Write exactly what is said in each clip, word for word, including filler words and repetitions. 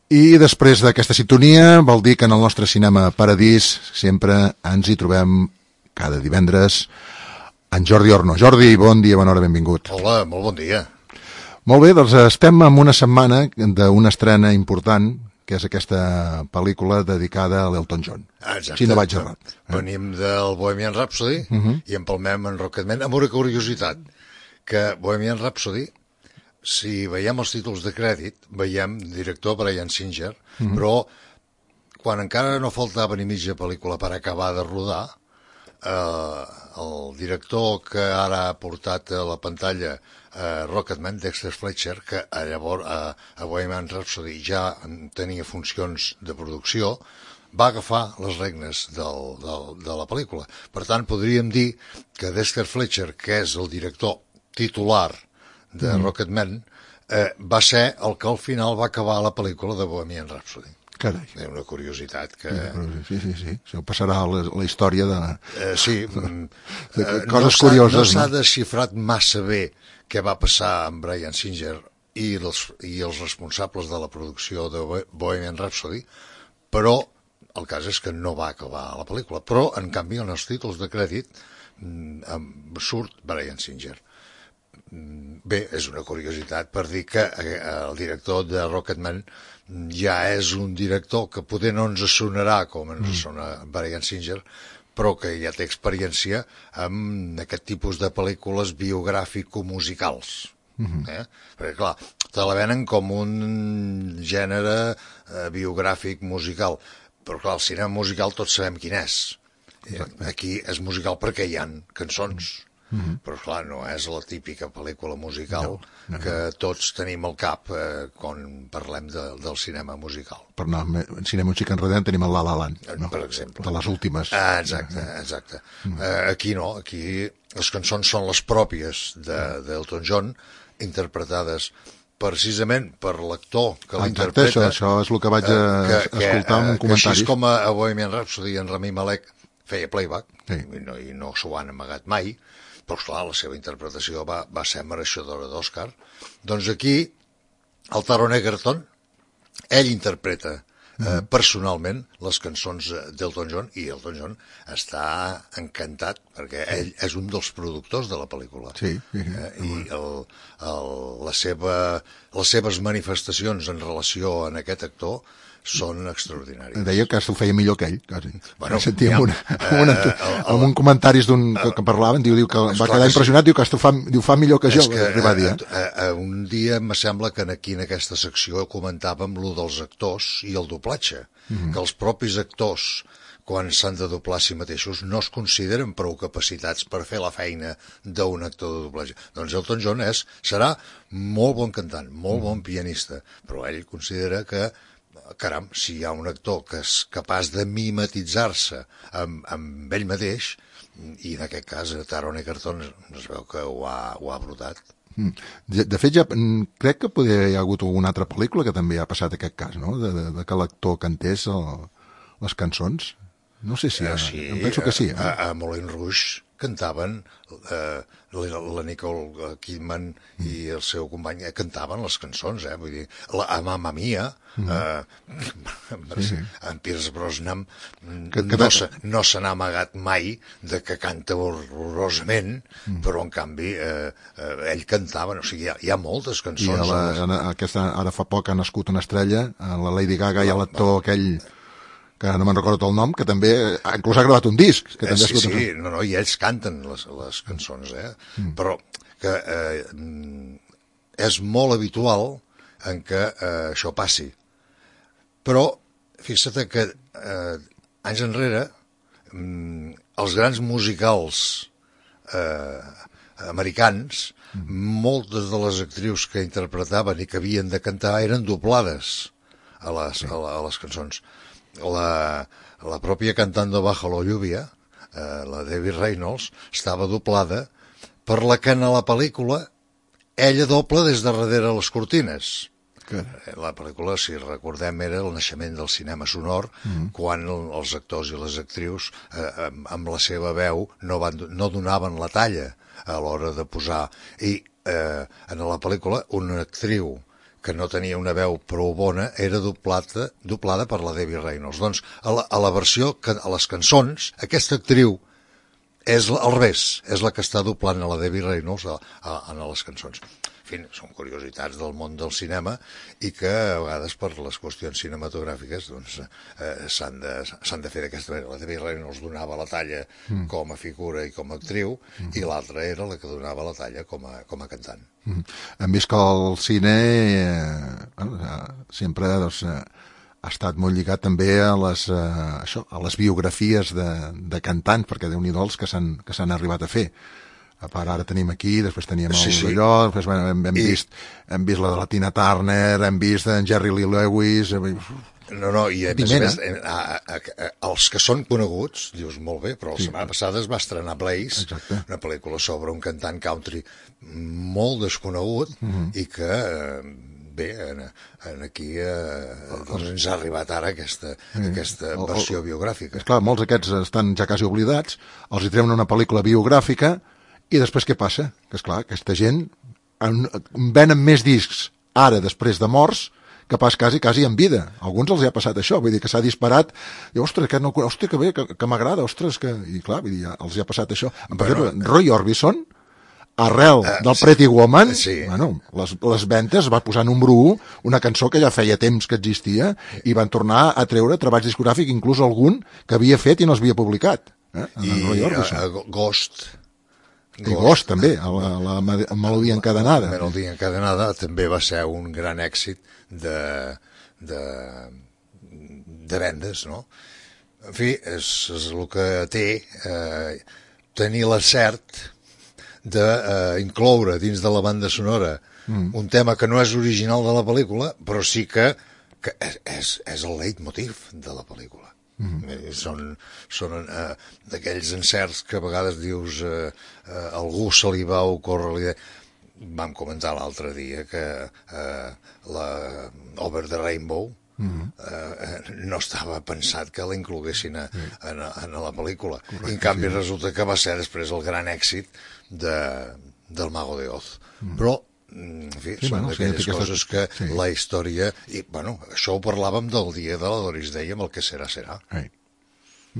I després d'aquesta sintonia vol dir que en el nostre Cinema Paradís sempre ens hi trobem cada divendres en Jordi Orno. Jordi, bon dia, bona hora, benvingut. Hola, molt bon dia. Molt bé, doncs estem en una setmana d'una estrena important, que és aquesta pel·lícula dedicada a l'Elton John. Exacte. Si no vaig errat. Eh? Venim del Bohemian Rhapsody uh -huh. i empalmem en Rocketman amb una curiositat, que Bohemian Rhapsody, si veiem els títols de crèdit, veiem director Bryan Singer, uh -huh. però quan encara no faltava ni mitja pel·lícula per acabar de rodar, eh, el director que ara ha portat a la pantalla eh, Rocketman, Dexter Fletcher, que llavors a, a Bohemian Rhapsody ja tenia funcions de producció, va agafar les regnes del, del, de la pel·lícula. Per tant, podríem dir que Dexter Fletcher, que és el director titular de mm. Rocketman, eh, va ser el que al final va acabar la pel·lícula de Bohemian Rhapsody. Carai. És una curiositat que... Sí, sí, sí. Això passarà a la, la història de... Eh, sí. de, de coses no curioses. No s'ha desxifrat massa bé què va passar amb Bryan Singer i els, i els responsables de la producció de Bohemian Rhapsody, però el cas és que no va acabar la pel·lícula. Però, en canvi, en els títols de crèdit surt Bryan Singer. Bé, és una curiositat per dir que el director de Rocketman ja és un director que poder no ens sonarà com ens sona Bryan Singer, però que ja té experiència amb aquest tipus de pel·lícules biogràfico-musicals. Eh? Perquè, clar, te la venen com un gènere eh, biogràfic musical, però, clar, el cinema musical tots sabem quin és. Aquí és musical perquè hi ha cançons. Mm-hmm. Però clar, no és la típica pel·lícula musical no, no, no. que tots tenim al cap eh, quan parlem de, del cinema musical. Per anar en cinema musical enredant tenim el La La Land, no? Per exemple. De les últimes. Ah, exacte, exacte. Mm. Eh, aquí no, aquí les cançons són les pròpies d'Elton John, interpretades precisament per l'actor que ah, l'interpreta. Això, això és el que vaig eh, que, escoltar que, en comentaris. Que així com a, a Bohemian Rhapsody en Rami Malek feia playback, sí. i, no, i no s'ho han amagat mai, però clar, la seva interpretació va, va ser mereixedora d'Oscar. Doncs aquí, el Taron Egerton, ell interpreta eh, personalment les cançons d'Elton John, i Elton John està encantat, perquè ell és un dels productors de la pel·lícula. Sí, sí, sí. Eh, I el, el, la seva, les seves manifestacions en relació a aquest actor són extraordinaris. Deia que s'ho feia millor que ell, quasi. Bueno, sentia ja, amb, una, amb, una, uh, amb un comentaris d'un que, que parlaven, diu, diu que va quedar que impressionat, sí. diu que esto fa, diu, fa millor que jo, que, va dir. Uh, uh, un dia me sembla que aquí en aquesta secció comentàvem lo dels actors i el doblatge, mm -hmm. que els propis actors, quan s'han de doblar a si mateixos, no es consideren prou capacitats per fer la feina d'un actor de doblatge. Doncs Elton John és, serà molt bon cantant, molt bon pianista, però ell considera que caram, si hi ha un actor que és capaç de mimetitzar-se amb, amb ell mateix, i en aquest cas Taron Egerton es veu que ho ha, ho ha brotat. De, de fet, ja crec que poder hi ha hagut alguna altra pel·lícula que també ha passat aquest cas, no? De, de, de que l'actor cantés el, les cançons. No sé si... Ha, sí, em penso que sí. Eh? A, a Moulin Rouge cantaven, eh, la Nicole Kidman mm. i el seu company cantaven les cançons, eh? Vull dir, la, a Mamma Mia, mm. eh, sí, sí. en Pierce Brosnan que, que no, se, no se n'ha amagat mai de que canta horrorosament, mm. però en canvi eh, eh, ell cantava, o sigui, hi ha, hi ha moltes cançons. I la, les... aquesta, ara fa poc ha nascut una estrella, la Lady Gaga i l'actor aquell... que no me'n recordo el nom, que també inclús ha gravat un disc. Que també sí, sí, no, no, i ells canten les, les cançons, eh? Mm. Però que eh, és molt habitual en què eh, això passi. Però, fixa't que eh, anys enrere mm, els grans musicals eh, americans, mm. moltes de les actrius que interpretaven i que havien de cantar eren doblades a les, sí. a, a les cançons. La, la pròpia Cantando bajo la lluvia, eh, la Debbie Reynolds, estava doblada per la que en la pel·lícula ella dobla des de darrere les cortines. Que... La pel·lícula, si recordem, era el naixement del cinema sonor, mm-hmm. quan els actors i les actrius eh, amb la seva veu no, van, no donaven la talla a l'hora de posar. I eh, en la pel·lícula una actriu que no tenia una veu prou bona, era doblada, doblada per la Debbie Reynolds. Doncs a la, a la versió, a les cançons, aquesta actriu és al revés, és la que està doblant a la Debbie Reynolds a, a, a les cançons. En fi, són curiositats del món del cinema i que a vegades per les qüestions cinematogràfiques doncs, eh, s'han de, s'han de fer d'aquesta manera. La Debbie Reynolds donava la talla mm. com a figura i com a actriu mm. i l'altra era la que donava la talla com a, com a cantant. Mm. Hem vist que el cine eh, bueno, sempre doncs, eh, ha estat molt lligat també a les, eh, això, a les biografies de, de cantants, perquè déu-n'hi-do els que s'han que s'han arribat a fer. A part, ara tenim aquí, després teníem el sí, sí. d'allò, després bueno, hem, hem, I... vist, hem vist la de la Tina Turner, hem vist en Jerry Lee Lewis... No, no, i a més a més, a, a, a, els que són coneguts, dius molt bé, però la sí. setmana passada es va estrenar Blaze, Exacte. Una pel·lícula sobre un cantant country molt desconegut uh -huh. i que... bé, en, en aquí eh, doncs ens ha arribat ara aquesta, sí. aquesta versió biogràfica. Esclar, molts d'aquests estan ja quasi oblidats, els hi treuen una pel·lícula biogràfica i després què passa? Que esclar, aquesta gent en, venen més discs ara, després de morts, que pas quasi, quasi en vida. A alguns els hi ha passat això, vull dir que s'ha disparat, i ostres, que, no, ostres, que bé, que, que m'agrada, ostres, que... I clar, vull dir, ja els hi ha passat això. Per exemple, Roy Orbison, arrel uh, del Pretty Woman, sí. bueno, les, les ventes va posar número u, una cançó que ja feia temps que existia, i van tornar a treure treballs discogràfics, inclús algun que havia fet i no s'havia publicat. Eh? I uh, Ghost... I Ghost, també, la, la, la melodia encadenada. La melodia encadenada també va ser un gran èxit de, de, de vendes, no? En fi, és, és el que té eh, tenir la cert d'incloure dins de la banda sonora mm. un tema que no és original de la pel·lícula, però sí que, que és, és el leitmotiv de la pel·lícula. Mm. Són, són eh, d'aquells encerts que a vegades dius eh, eh, algú se li va ocórrer l'idea. Vam comentar l'altre dia que eh, la Over the Rainbow mm. eh, no estava pensat que la incloguessin a, a, a la pel·lícula. Correcte, I en canvi sí. resulta que va ser després el gran èxit de, del Mago de Oz. Mm. Però en fi, sí, són bueno, d'aquelles sí, coses que sí. la història... I, bueno, això ho parlàvem del dia de la Doris Day amb el que serà, serà. Sí.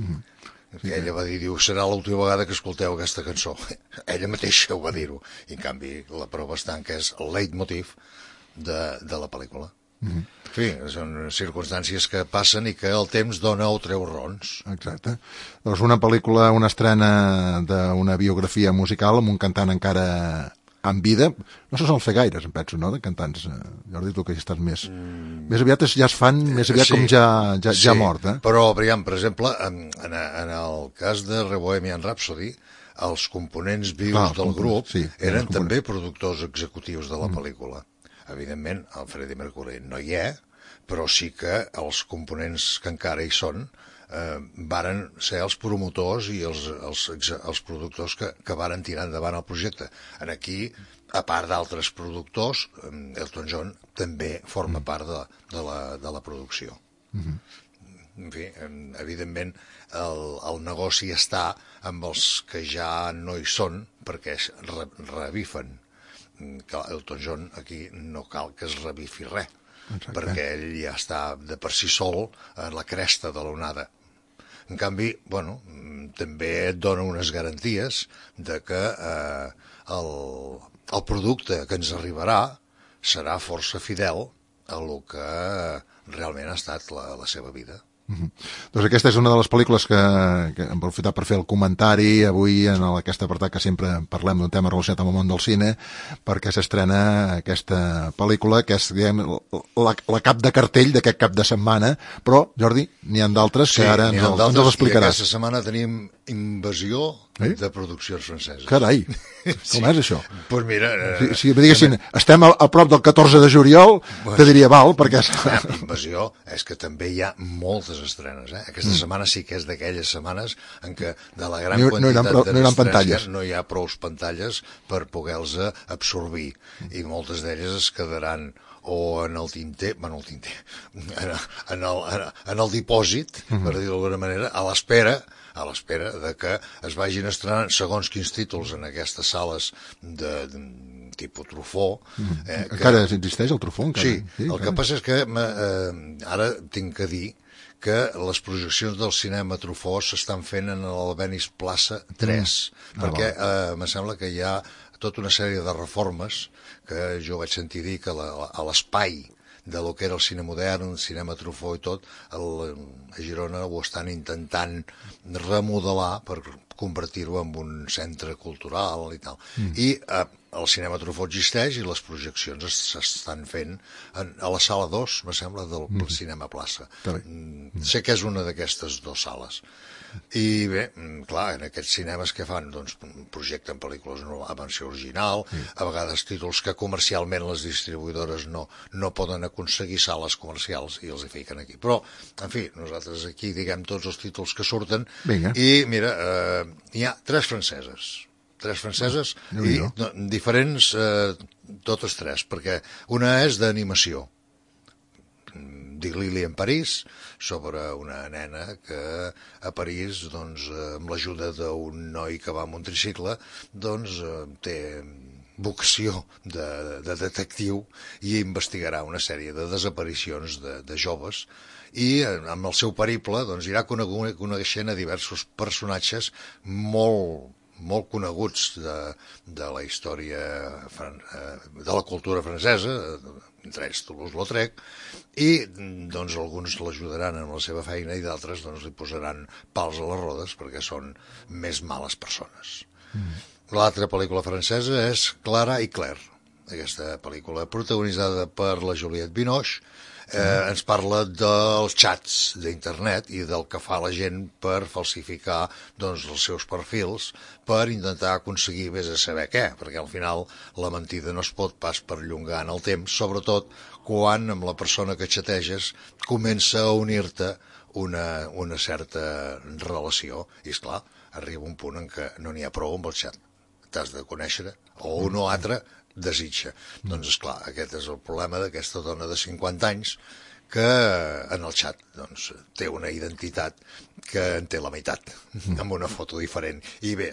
Mm-hmm. Que sí, ella va dir, diu, serà l'última vegada que escolteu aquesta cançó. Ella mateixa ho va dir-ho. I, en canvi, la prova està en que és el leitmotiv de, de la pel·lícula. Mm-hmm. En fi, són circumstàncies que passen i que el temps dona o treu rons. Exacte. Doncs una pel·lícula, una estrena d'una biografia musical amb un cantant encara en vida, no se sol fer gaires, em penso, no?, de cantants. Jordi, tu que hi estàs més... Mm. Més aviat ja es fan, més aviat sí, com ja, ja, sí, ja mort, eh? Però, Brian, per exemple, en, en, en el cas de Bohemian Rhapsody, els components vius Clar, del grup sí, eren també productors executius de la mm. pel·lícula. Evidentment, el Freddie Mercury no hi és, però sí que els components que encara hi són eh, varen ser els promotors i els, els, els productors que, que varen tirar endavant el projecte. En aquí, a part d'altres productors, Elton John també forma part de, de, la, de la producció. Mm-hmm. En fi, evidentment, el, el negoci està amb els que ja no hi són perquè es re, revifen. Elton John aquí no cal que es revifi res. Exacte. Perquè ell ja està de per si sol a la cresta de l'onada. En canvi, bueno, també et dona unes garanties de que eh, el, el producte que ens arribarà serà força fidel a lo que realment ha estat la, la seva vida. Mm-hmm. Doncs aquesta és una de les pel·lícules que, que hem aprofitat per fer el comentari avui en aquest apartat que sempre parlem d'un tema relacionat amb el món del cine, perquè s'estrena aquesta pel·lícula que és, diguem, la, la cap de cartell d'aquest cap de setmana, però, Jordi, n'hi ha d'altres sí, que ara ens, ens els explicaràs. I aquesta setmana tenim Invasió eh? de produccions franceses. Carai, com és això? Pues mira... Eh, si, si me diguessin, estem a, a prop del catorze de juliol, pues, te diria val, perquè... Invasió és que també hi ha moltes estrenes, eh? Aquesta mm. setmana sí que és d'aquelles setmanes en què de la gran no, quantitat no no d'estrenes no hi ha prou pantalles per poder-los absorbir, mm. i moltes d'elles es quedaran o en el tinter, bueno, el tinter, en, en, el, en el dipòsit, mm-hmm. per dir-ho d'alguna manera, a l'espera a l'espera de que es vagin estrenant segons quins títols en aquestes sales de, de, tipus Truffaut. Eh, que... Encara existeix el Truffaut? Encara? Sí, sí, el encara. Que passa és que eh, ara tinc que dir que les projeccions del cinema Truffaut s'estan fent en el Venice Plaza tres, mm. perquè eh, me sembla que hi ha tota una sèrie de reformes que jo vaig sentir dir que la, a l'espai de lo que era el cine modern, el cinema Truffaut i tot, el, a Girona ho estan intentant remodelar per convertir-ho en un centre cultural i tal. Mm. I eh, el cinema Truffaut existeix i les projeccions s'estan fent en, a la sala dos, me sembla, del mm. cinema Plaça. Mm. Sé que és una d'aquestes dues sales. I bé, clar, en aquests cinemes que fan, doncs, projecten pel·lícules amb versió original, sí. A vegades títols que comercialment les distribuïdores no, no poden aconseguir sales comercials i els hi fiquen aquí. Però, en fi, nosaltres aquí diguem tots els títols que surten. Vinga. I, mira, eh, hi ha tres franceses. Tres franceses no, i no, diferents, eh, totes tres, perquè una és d'animació, dic Lili en París, sobre una nena que a París, doncs, amb l'ajuda d'un noi que va amb un tricicle, doncs, té vocació de, de detectiu i investigarà una sèrie de desaparicions de, de joves i amb el seu periple doncs, irà coneixent a diversos personatges molt molt coneguts de, de la història de la cultura francesa, entre ells Toulouse-Lautrec, i doncs alguns l'ajudaran en la seva feina i d'altres doncs li posaran pals a les rodes perquè són més males persones. Mm. L'altra pel·lícula francesa és Clara i Claire, aquesta pel·lícula protagonitzada per la Juliette Binoche. Eh, ens parla dels xats d'internet i del que fa la gent per falsificar doncs, els seus perfils per intentar aconseguir vés a saber què, perquè al final la mentida no es pot pas perllongar en el temps, sobretot quan amb la persona que xateges comença a unir-te una, una certa relació i esclar, arriba un punt en què no n'hi ha prou amb el xat, t'has de conèixer o un o altre desitja. Mm. Doncs, esclar, aquest és el problema d'aquesta dona de cinquanta anys que en el xat doncs, té una identitat que en té la meitat, mm. amb una foto diferent. I bé,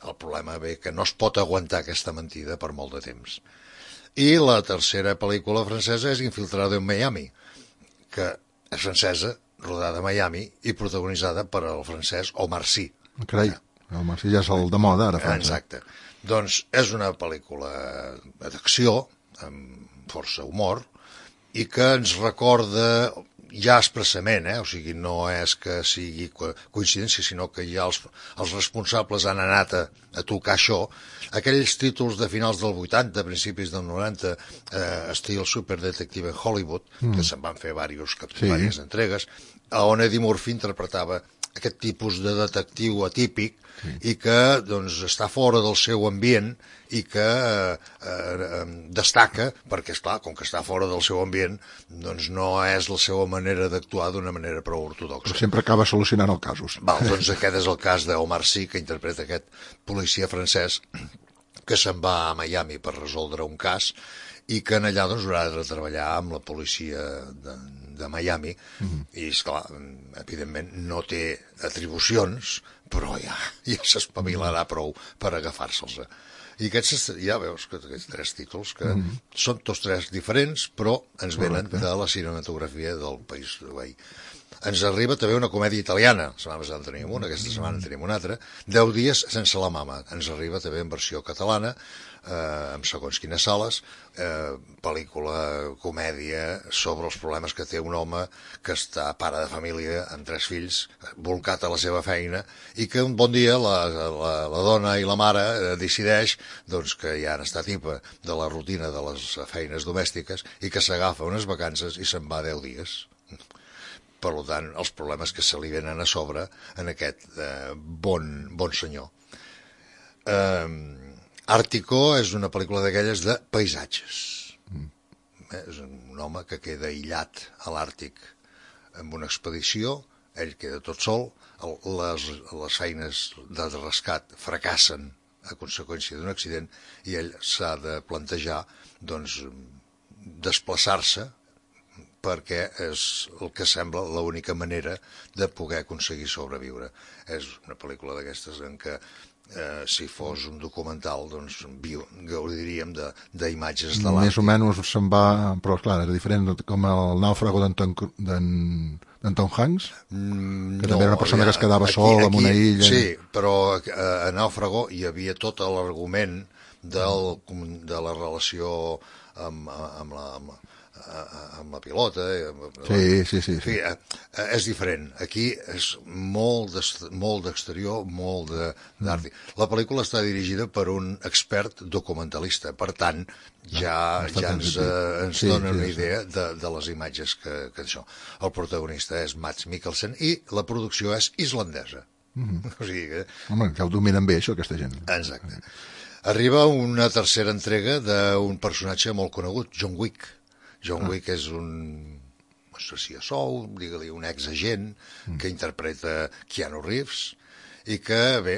el problema ve que no es pot aguantar aquesta mentida per molt de temps. I la tercera pel·lícula francesa és Infiltrado en Miami, que és francesa, rodada a Miami i protagonitzada per el francès Omar Sy. Carai, el Omar Sy ja és el de moda, ara. França. Exacte. Doncs és una pel·lícula d'acció, amb força humor, i que ens recorda ja expressament, eh? O sigui, no és que sigui coincidència, sinó que ja els, els responsables han anat a, a tocar això, aquells títols de finals del vuitanta, principis del noranta, eh, estil Superdetective en Hollywood, mm. que se'n van fer diversos, sí. diverses entregues, on Eddie Murphy interpretava aquest tipus de detectiu atípic sí. i que doncs, està fora del seu ambient i que eh, eh, destaca perquè, esclar, com que està fora del seu ambient doncs no és la seva manera d'actuar d'una manera prou ortodoxa. Però sempre acaba solucionant els casos. Val, doncs aquest és el cas d'Omar Sy, que interpreta aquest policia francès que se'n va a Miami per resoldre un cas i que en allà doncs, haurà de treballar amb la policia de, de Miami mm-hmm. i, esclar, evidentment no té atribucions, però ja, ja s'espavilarà prou per agafar-se'ls. I aquests, ja veus, que aquests tres títols, que mm-hmm. són tots tres diferents, però ens venen de la cinematografia del país de veí. Ens arriba també una comèdia italiana, la setmana passada en teníem una, aquesta setmana en tenim una altra, Deu dies sense la mama, ens arriba també en versió catalana, eh, amb segons quines sales, eh, pel·lícula, comèdia, sobre els problemes que té un home que està pare de família amb tres fills, volcat a la seva feina, i que un bon dia la, la, la dona i la mare eh, decideix doncs, que ja han estat tipa de la rutina de les feines domèstiques i que s'agafa unes vacances i se'n va deu dies. Per tant, els problemes que se li venen a sobre en aquest eh, bon, bon senyor. Eh, Àrtico és una pel·lícula d'aquelles de paisatges. Mm. Eh, és un home que queda aïllat a l'Àrtic amb una expedició, ell queda tot sol, el, les, les feines de rescat fracassen a conseqüència d'un accident i ell s'ha de plantejar doncs, desplaçar-se perquè és el que sembla l'única manera de poder aconseguir sobreviure. És una pel·lícula d'aquestes en què Eh, si fos un documental, doncs viu, gaudiríem d'imatges de, de l'Àfrica. Més o menys se'n va, però clar, era diferent, com el nàufrago d'Anton Hanks, mm, que no, també era una persona ja, que es quedava aquí, sol aquí, en una illa. Sí, però a, a Nàufrago hi havia tot l'argument del, de la relació amb, amb la... Amb, amb la pilota. Sí, sí, sí. En fi, sí. És diferent. Aquí és molt d'exterior, molt d'art. Mm. La pel·lícula està dirigida per un expert documentalista, per tant, ja, no, ja ens, eh, ens sí, dona sí, una idea sí. de, de les imatges que, que això. El protagonista és Mads Mikkelsen i la producció és islandesa. Mm-hmm. O sigui que... Home, que ho dominen bé, això, aquesta gent. Exacte. Arriba una tercera entrega d'un personatge molt conegut, John Wick. John Wick és un assassí a sou, digue-li un exagent mm. que interpreta Keanu Reeves i que, bé,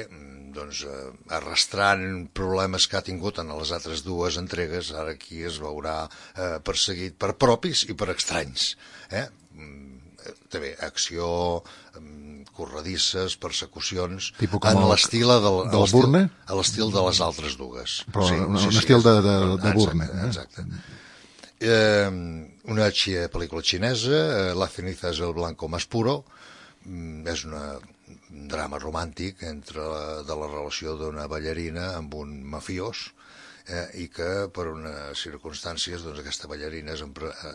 doncs, arrastrant problemes que ha tingut en les altres dues entregues, ara aquí es veurà eh, perseguit per propis i per estranys. Eh? També acció, corredisses, persecucions, en l'estil del, del Bourne? A l'estil de les altres dues. Però sí, un, sí, un sí, estil és, de, de, de Bourne. Exacte. Eh? Eh, una pel·lícula xinesa, eh, La ceniza es el blanco más puro, mm, és una, un drama romàntic entre la, de la relació d'una ballarina amb un mafiós, eh, i que per unes circumstàncies doncs, aquesta ballarina és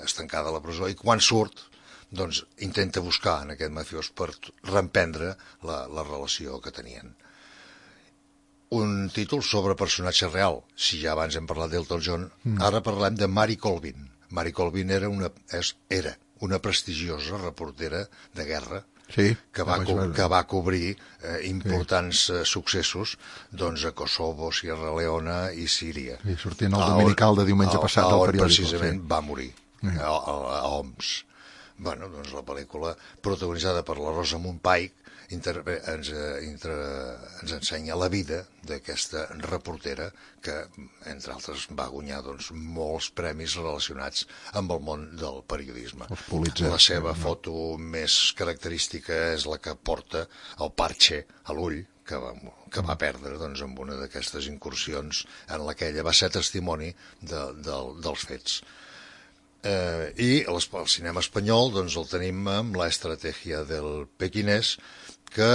estancada a la presó i quan surt doncs, intenta buscar en aquest mafiós per reemprendre la, la relació que tenien. Un títol sobre personatge real. Si ja abans hem parlat d'Elton John, mm. ara parlem de Mary Colvin. Mary Colvin era una, és, era una prestigiosa reportera de guerra sí, que, va co que va cobrir eh, importants sí. eh, successos doncs, a Kosovo, Sierra Leona i Síria. I sortint el dominical de diumenge passat al periòdic. Precisament sí. va morir, sí. a, a, a Homs. Bueno, doncs la pel·lícula protagonitzada per la Rosa Pike Inter ens, inter ens ensenya la vida d'aquesta reportera que, entre altres, va guanyar doncs, molts premis relacionats amb el món del periodisme. La seva foto més característica és la que porta el parche a l'ull, que va, que va perdre doncs, amb una d'aquestes incursions en la que ella va ser testimoni de, de, dels fets. Eh, I el cinema espanyol doncs, el tenim amb La estratègia del pequinès, que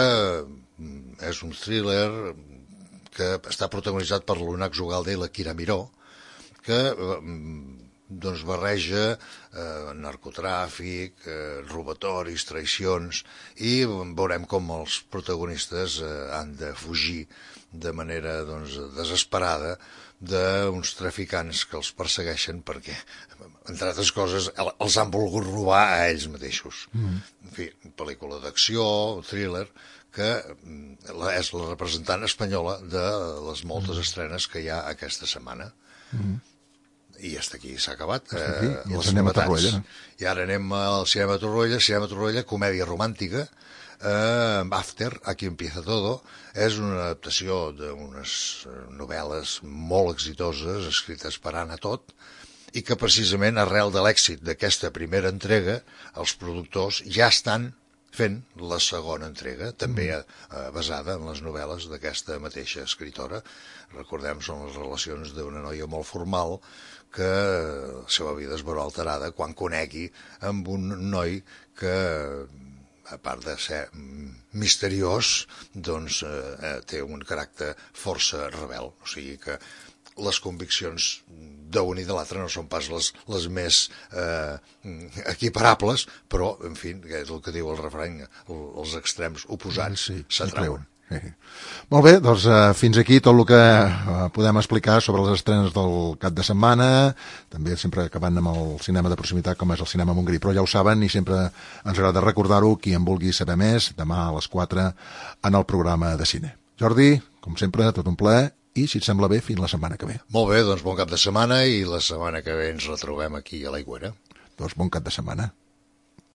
és un thriller que està protagonitzat per l'Unax Ugalde i la Kira Miró, que doncs, barreja eh, narcotràfic, eh, robatoris, traïcions, i veurem com els protagonistes eh, han de fugir de manera doncs, desesperada d'uns traficants que els persegueixen perquè, entre altres coses, els han volgut robar a ells mateixos. Mm. En fi, pel·lícula d'acció, thriller, que és la representant espanyola de les moltes mm. estrenes que hi ha aquesta setmana. Mm. I hasta aquí s'ha acabat. Eh, I ens anem a Torroella. I ara anem al cinema Torroella, cinema Torroella, comèdia romàntica, Uh, After, Aquí empieza todo, és una adaptació d'unes novel·les molt exitoses, escrites per Anna Todd, i que precisament arrel de l'èxit d'aquesta primera entrega, els productors ja estan fent la segona entrega, també uh, basada en les novel·les d'aquesta mateixa escritora. Recordem, són les relacions d'una noia molt formal que la seva vida es veurà alterada quan conegui amb un noi que, a part de ser misteriós, doncs eh, té un caràcter força rebel. O sigui que les conviccions d'un i de l'altre no són pas les, les més eh, equiparables, però, en fi, és el que diu el refrany, els extrems oposats sí, s'atreuen. Sí. Molt bé, doncs eh, fins aquí tot el que eh, podem explicar sobre les estrenes del cap de setmana, també sempre acabant amb el cinema de proximitat com és el cinema Montgrí, però ja ho saben i sempre ens agrada recordar-ho, qui en vulgui saber més, demà a les quatre en el programa de cine. Jordi, com sempre, tot un plaer i, si et sembla bé, fins la setmana que ve. Molt bé, doncs bon cap de setmana i la setmana que ve ens retrobem aquí a l'Aigüera. Doncs bon cap de setmana.